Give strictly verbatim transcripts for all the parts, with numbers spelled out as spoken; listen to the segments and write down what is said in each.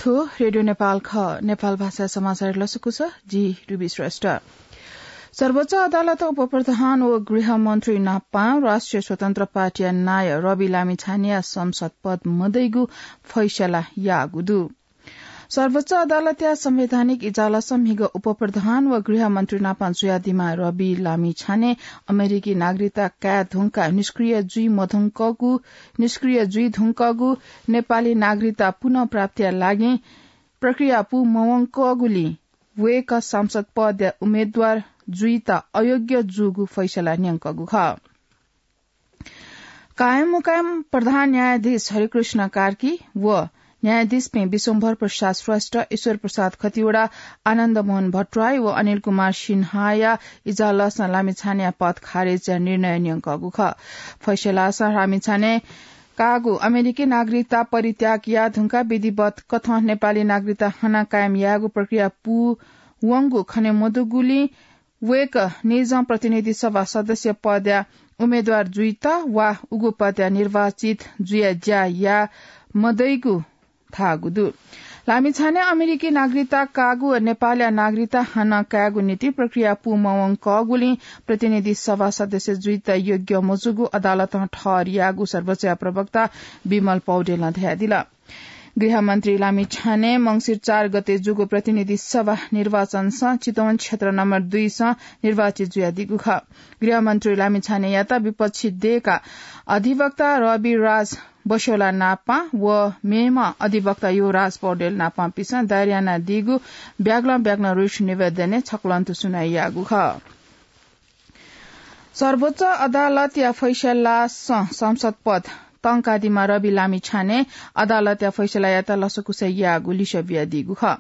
थ्व रेडियो नेपाल खः। नेपाल भाषा समाचार लसकुस, जि रुबी श्रेष्ठ। सर्वोच्च अदालतं उपप्रधान व गृहमन्त्री नापं राष्ट्रिय स्वतन्त्र पार्टीया नायः रवि लामिछानेया संसद पद मदइगु फैसला याःगु दु। सर्वोच्च अदालतया संवैधानिक इजलासं म्हिगः उपप्रधान व गृहमन्त्री नापं जुयादीम्ह रवि लामिछाने अमेरिकी नागरिकता काये धुंकाः निष्क्रिय जुइ मधुंकःगु, निष्क्रिय जुइ धुंकःगु नेपाली नागरिकता पुनःप्राप्तिया लागि प्रक्रिया पू मवंकःगुलिं वय्कः सांसद पदया उम्मेदवार जुइत अयोग्य जूगु फैसला न्यंकःगु खः। कायम मुकायम प्रधान न्यायाधीश हरिकृष्ण कार्की व न्यायाधीशपिं विश्वम्भर प्रसाद श्रेष्ठ, ईश्वर प्रसाद खतिवडा, आनन्द मोहन भट्टराई व अनिल कुमार सिन्हाया इजलासं लामिछानेया पद खारेजया निर्णय न्यंकःगु खः। फैसलासं लामिछाने काःगु अमेरिकी नागरिकता परित्याग याये धुंकाः विधिवत कथं नेपाली नागरिकता हानं कायम यायेगु प्रक्रिया पूवंगु खने मदुगुलिं वय्कः निजं प्रतिनिधि सभा सदस्य पदया उम्मेदवार जुइत वा उगु पदया निर्वाचित जुया ज्या याये मदइगु धाःगु दु। लामिछाने अमेरिकी नागरिकता काःगु व नेपालया नागरिकता हानं कायेगु निंतिं प्रक्रिया पूमवंकःगुलिं प्रतिनिधि सभा सदस्य जुइत योग्य मजूगु अदालतं ठहर याःगु सर्वोच्चया प्रवक्ता विमल पौडेलं धयादिल। गृहमन्त्री लामिछाने मंसिर चार गते जूगु प्रतिनिधि सभा निर्वाचनसं चितवन क्षेत्र नम्बर दुईसं निर्वाचित जुयादीगु खः। गृहमन्त्री लामिछानेयात विपक्षी दय्का अधिवक्ता रविराज बस्योला नापं व मेम्ह अधिवक्ता युवराज पौडेल नापंपिसं दायर यानादीगु ब्यागलं ब्यागलं रिट निवेदनय् छकलंतु सुनवाई याःगु खः। सर्वोच्च अदालतया फैसलासं संसद पद तंकादीम्ह रवि लामिछाने अदालतया फैसलायात लसकुस याःगु लिसः बियादीगु खः।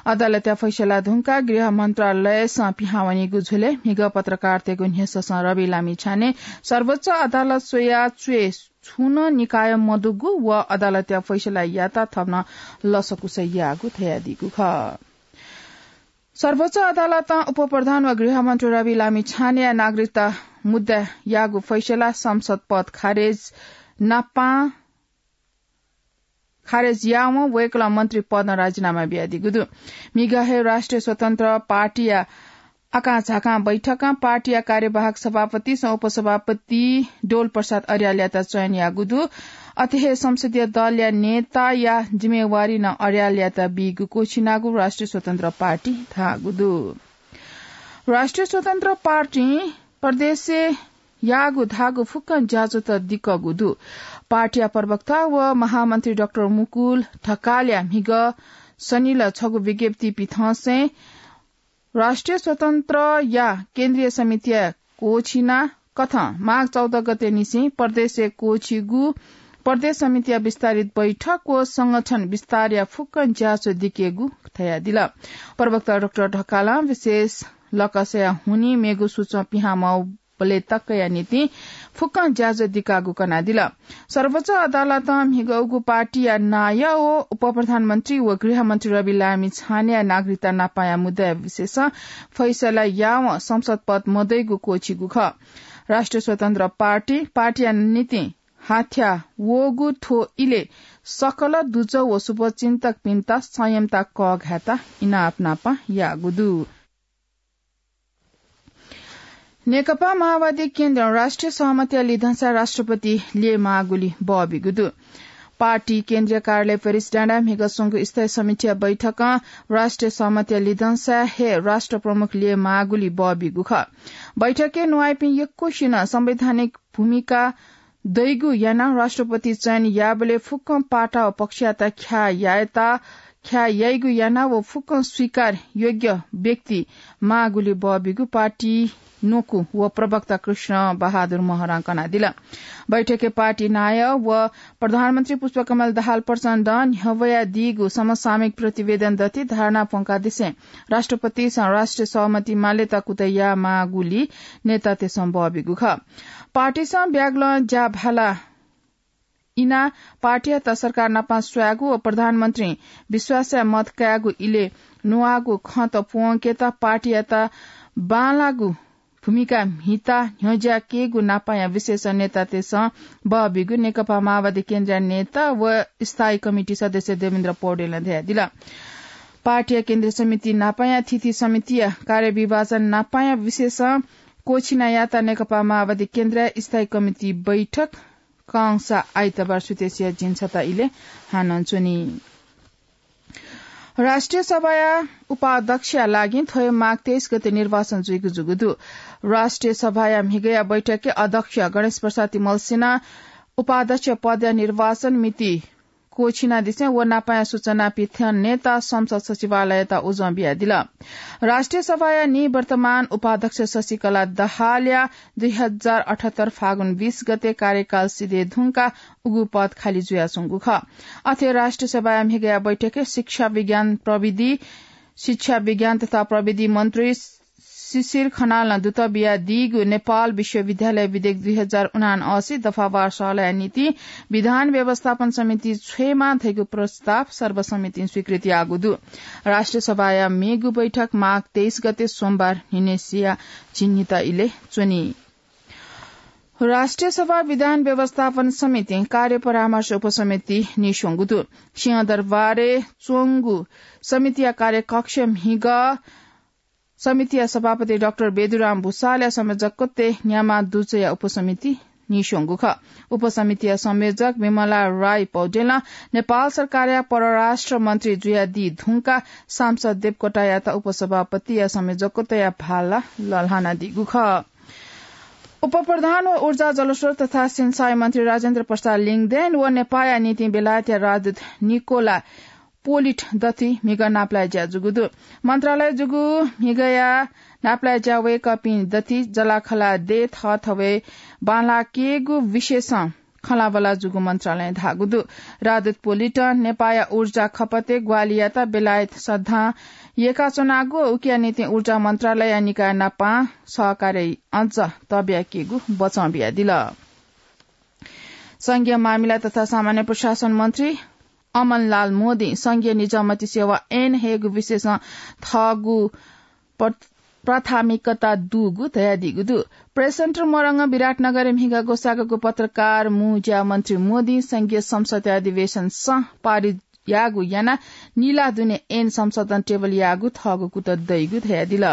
अदालतया फैसला धुंकाः गृह मन्त्रालयसं पिहां वनीगु झ्वलय् म्हिगः पत्रकारतय्गु न्ह्यसःसं रवि लामिछाने सर्वोच्च अदालत स्वयाः च्वय् छुं नं निकाय मदुगु व अदालतया फैसलायात थप नं लसकुस याःगु धयादीगु खः। सर्वोच्च अदालतं उपप्रधान व गृहमन्त्री रवि लामिछानेया नागरिकता मुद्दा याःगु फैसला संसद पद खारेज नापं खारेज यावं वय्कलं मन्त्री पदं राजीनामा बियादीगु दु। म्हिगः हे राष्ट्रिय स्वतन्त्र पार्टीया आकांझाकां बैठकं पार्टीया कार्यवाहक सभापतिसं उपसभापति डोल प्रसाद अर्यालयात चयन याःगु दु। अथे हे संसदीय दलया नेताया जिम्मेवारी नं अर्यालयात बीगु क्वःछिनागु राष्ट्रिय स्वतन्त्र पार्टी धाःगु दु। राष्ट्रिय स्वतन्त्र पार्टीं प्रदेशय् याःगु धाःगु फुक्कं ज्याझ्वःत दिकःगु दु। पार्टीया प्रवक्ता व महामन्त्री डाक्टर मुकुल ढकालया म्हिगः सनिल छगू विज्ञप्ति पिथंसें राष्ट्रिय स्वतन्त्रया केन्द्रीय समितिया क्वःछिना कथं माघ चौध गते निसें प्रदेशय् क्वःछिगु प्रदेश समितिया विस्तारित बैठक व संगठन विस्तारया फुक्कं ज्याझ्वः दिकेगु धयादिल। प्रवक्ता डाक्टर ढकालं विशेष लकसया हुनिं मेगु सूचं पिहां मवःबलय् तकया निंतिं फुक्कं ज्याझ्वः दिकागु कनादिल। सर्वोच्च अदालतं म्हिगःगु पार्टीया नायः व उपप्रधानमन्त्री व गृहमन्त्री रवि लामिछानेया नागरिकता नापांया मुद्दाया विषयसं फैसला यावं संसद पद मदइगु क्वःछिगु खः। राष्ट्रिय स्वतन्त्र पार्टी, पार्टीया निंतिं हाथ्या वःगु थ्व इलय् सकल दुजः व शुभचिन्तकपिन्त संयमता कःघायेत इनाप नापं याःगु दु। नेकपा माओवादी केन्द्रं राष्ट्रिय सहमतिया लिधंसा राष्ट्रपति ल्ययेमाःगुली बःबिगु दु। पार्टी केन्द्रीय कार्यालय पेरिस डाँडाय् म्हिगः स्वंगु स्थायी समितिया बैठकं राष्ट्रिय सहमतिया लिधंसा हे राष्ट्र प्रमुख ल्ययेमाःगुली बःबिगु खः। बैठकय् न्वाइपिं यक्वसिनं संवैधानिक भूमिका दइगु यानाः राष्ट्रपति चयन याःबलय् फुक्कं पाटा व पक्षयात ख्याः यायेत, ख्याः याइगु यानाः व फुक्कं स्वीकार योग्य व्यक्ति माःगुली बःबिगु पार्टी न्वकू व प्रवक्ता कृष्ण बहादुर महरां कनादिल। बैठकय् पार्टी नायः व प्रधानमन्त्री पुष्पकमल दाहाल प्रचण्डं न्ह्यब्वयादीगु समसामयिक प्रतिवेदन दथि धारणा प्वंकादिसें राष्ट्रपतिसं राष्ट्रिय सहमति मालेत कुतः यायेमाःगुली नेतातय्सं बःबिगु खः। पार्टीसं ब्यागलं ज्याभाला इनाः पार्टीयात सरकार नाप स्वायेगु व प्रधानमन्त्रीं विश्वासया मत कायेगु इलय् न्ववाःगु खँत प्वंकेत पार्टीयात बांलाःगु भूमिका म्हिता न्ह्यज्याकेगु नापाया विशेष नेतातय्सं बहबीगु नेकपा माओवादी केन्द्रीय नेता व स्थायी कमिटी सदस्य देवेन्द्र पौडेलं धयादिल। पार्टीया केन्द्रीय समिति नापाया थीथी समितिया कार्यविभाजन नापाया विशेष कोछिनायात नेकपा माओवादी केन्द्रीय स्थायी कमिटी बैठक कंसा आइतबार सुतेसिया झिंछता इले हानं च्वनी। राष्ट्रिय सभाया उपाध्यक्षया लागि थ्व हे माघ तेइस गते निर्वाचन जुइगु जूगु दु। राष्ट्रिय सभाया म्हिगया बैठकय् अध्यक्ष गणेश प्रसाद तिमल्सिनं उपाध्यक्ष पदया निर्वाचन मिति क्वछिनादिसें व नापाया सूचना पिथ्यंनेत संसद सचिवालययात उजं बियादिल। राष्ट्रिय सभाया निवर्तमान उपाध्यक्ष शशिकला दहालया दुई हजार अठहत्तर फागुन बीस गते कार्यकाल सिधये धुंकाः उगु पद खाली जुयाच्वंगु खः। अथे राष्ट्रिय सभाया म्हिगया बैठकय् शिक्षा विज्ञान प्रविधि, शिक्षा विज्ञान तथा प्रविधि मन्त्री शिशिर खनालं दुत बियादीगु नेपाल विश्वविद्यालय विधेयक दुई हजार उनासी दफावार सहलया निंतिं विधान व्यवस्थापन समिति छ्वयेमा धइगु प्रस्ताव सर्वसम्मतिं स्वीकृत याःगु दु। राष्ट्रिय सभाया मेगु बैठक माघ तेइस गते सोमबार न्हिनेसिया झिंनिता इले च्वनी। राष्ट्रिय सभा विधान व्यवस्थापन समितिं कार्य परामर्श उपसमिति नीस्वंगु दु। सिंहदरबारय् च्वंगु समितिया कार्यकक्ष म्हिगः समितिया सभापति डाक्टर बेदुराम भुसालया संयोजकत्वय् न्यामा दुजया उपसमिति नीस्वंगु खः। उपसमितिया संयोजक विमला राई पौडेलं नेपाल सरकारया परराष्ट्र मन्त्री जुयादी धुंकाः सांसद देवकोटायात उपसभापतिया संयोजकत्वया भाला लःल्हानादीगु खः। उपप्रधान व ऊर्जा, जलस्रोत तथा सिंचाई मन्त्री राजेन्द्र प्रसाद लिङदेन व नेपाःया निंतिं बेलायतया राजदूत निकोला पोलिट दथुइ म्हिगः नापलाये ज्या जूगु दु। मन्त्रालय जूगु म्हिगःया नापलाये ज्या वय्कःपिं दथुइ जलाखला दये थःथवय् बांलाकेगु विषयसं खँल्हाबल्हा जूगु मन्त्रालयं धाःगु दु। राजदूत पोलिटं नेपाःया ऊर्जा खपतय् ग्वाहालि यात बेलायत सदां यय्काच्वनागु व उकिया निंतिं ऊर्जा मन्त्रालयया निकाय नापं सहकार्य अझ तःब्याकेगु बचं बियादिल। संघीय मामिला तथा सामान्य प्रशासन मन्त्री अमनलाल मोदीं संघीय निजामती सेवा ऐन हयेगु विषयसं थःगु प्र-, प्राथमिकता दुगु धयादीगु दु। प्रेस सेन्टर मोरङ विराटनगरय् म्हिगः ग्वसाःगु पत्रकार मू ज्या मन्त्री मोदीं संघीय संसदया अधिवेशनसं पारित याःगु यानाः निला दुने ऐन संशोधन टेबल याःगु थःगु कुतः दइगु धयादिल।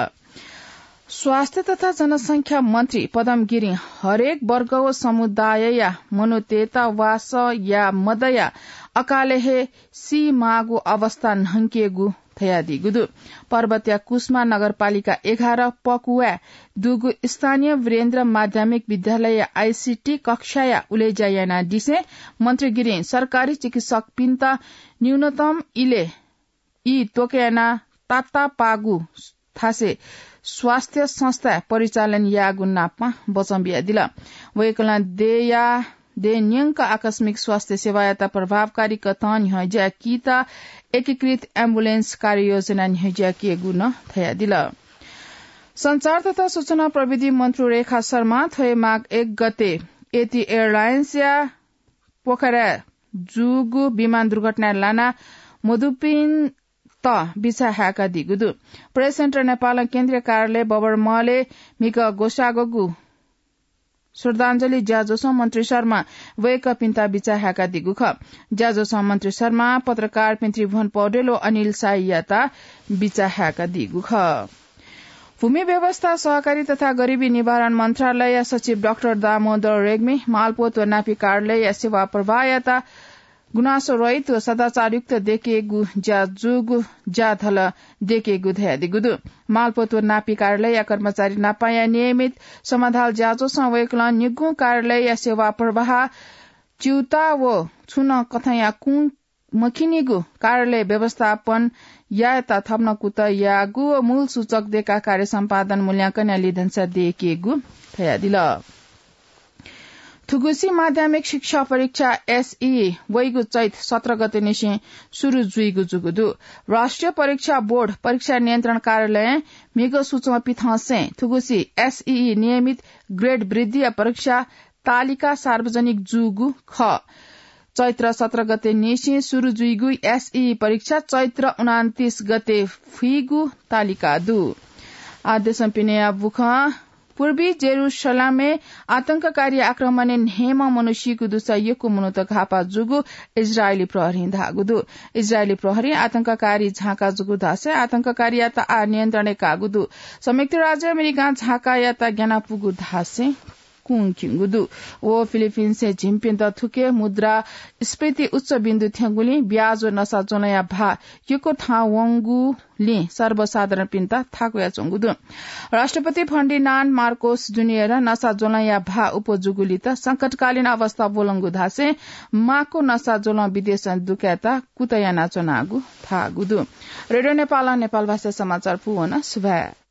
स्वास्थ्य तथा जनसंख्या मन्त्री पदम गिरिं हरेक वर्ग व समुदायया मनूतय्त वासः याये मदयाः अकालय् हे सीमाःगु अवस्था न्हंकेगु धयादीगु दु। पर्वतया कुसमा नगरपालिका एघार पकुवाय् दुगु स्थानीय वीरेन्द्र माध्यमिक विद्यालयया आईसीटी कक्षाया उलेज्या यानादिसें मन्त्री गिरिं सरकारी चिकित्सकपिन्त न्यूनतम इले ई त्वके यानाः तातापागु थासय् स्वास्थ्य संस्था परिचालन याःगु नापं बचं बियादिल। वय्कलं देय्या देय् न्यंक आकस्मिक स्वास्थ्य सेवायात प्रभावकारी कथं न्ह्यज्याकीत एकीकृत एम्बुलेन्स कार्ययोजना न्ह्यज्याकेगु नं धयादिल। संचार तथा सूचना प्रविधि मन्त्री रेखा शर्मां थ्व हे माघ एक गते एटी एयरलाइन्सया पोखराय् जूगु विमान दुर्घटनाय् लाना मदुपिन्त बिचाः हाय्कादीगु दु। प्रेस सेन्टर नेपालं केन्द्रीय कार्यालय बबर महलय् म्हिगः ग्वसाःगु श्रद्धाञ्जली ज्याझ्वलय् मन्त्री शर्मां वय्कःपिन्त बिचाः हाय्कादीगु खः। ज्याझ्वलय् मन्त्री शर्मां पत्रकारपिं त्रिभुवन पौडेल व अनिल शाहीयात बिचाः हाय्कादीगु खः। भूमि व्यवस्था, सहकारी तथा गरिबी निवारण मन्त्रालयया सचिव डाक्टर दामोदर रेग्मी मालपोत व नापी कार्यालयया सेवा प्रवाहयात गुनासो रहित व सदाचारयुक्त देकेगु ज्या जूगु ज्याझ्वलय् देकेगु धयादीगु दु। मालपोत व नापी कार्यालयया कर्मचारी नापाया नियमित समाधान ज्याझ्वलय् वय्कलं निगू कार्यालयया सेवा प्रवाह च्यूताः व छुं नं कथंया कुं मखिनिगु कार्यालय व्यवस्थापन यायेत थप नं कुतः याःगु व मूल सूचक देकाः कार्य सम्पादन मूल्यांकनया लिधंसा देकेगु धयादिल। थुगुसी माध्यमिक शिक्षा परीक्षा एसई वइगु चैत सत्र गते निसें सुरु जुइगु जूगु दु। राष्ट्रिय परीक्षा बोर्ड परीक्षा नियन्त्रण कार्यालयं म्हिगः सूचना पिथंसें थुगुसी एसई नियमित ग्रेड वृद्धिया परीक्षा तालिका सार्वजनिक जूगु खः। चैत्र सत्र गते निसें सुरु जुइगु एसई परीक्षा चैत्र उनान्तीस गते फुइगु तालिका दु। आदेशं पिने या बुखं पूर्वी जेरूसलमय् आतंककारी आक्रमणय् न्हय्म्ह मनू सीगु दुसा यक्व मनूत घाःपाः जूगु इजरायली प्रहरीं धाःगु दु। इजरायली प्रहरीं आतंककारी झांका जूगु धासें आतंककारीयात आः नियन्त्रणय् काःगु दु। संयुक्त राज्य अमेरिकां झांकायात ग्यानापुगु धासें कुंक्यंगु दु। व फिलिपिन्सय् झिंप्यन्त थुके मुद्रास्फीति उच्च बिन्दु थ्यंगुलिं ब्याज व नसा ज्वलंया भाः यक्व थाहां वंगुलिं सर्वसाधारणपिन्त थाकुयाच्वंगु दु। राष्ट्रपति फर्डिनान्ड मार्कोस जुनियरं नसा ज्वलंया भाः अप्वः जूगुलिं संकटकालीन अवस्था ब्वलंगु धासें माक्व नसा ज्वलं विदेशं दुकायेत कुतः यानाच्वनागु धाःगु दु। रेडियो नेपालं नेपाल भाषा समाचार पूवन। सुभाय्।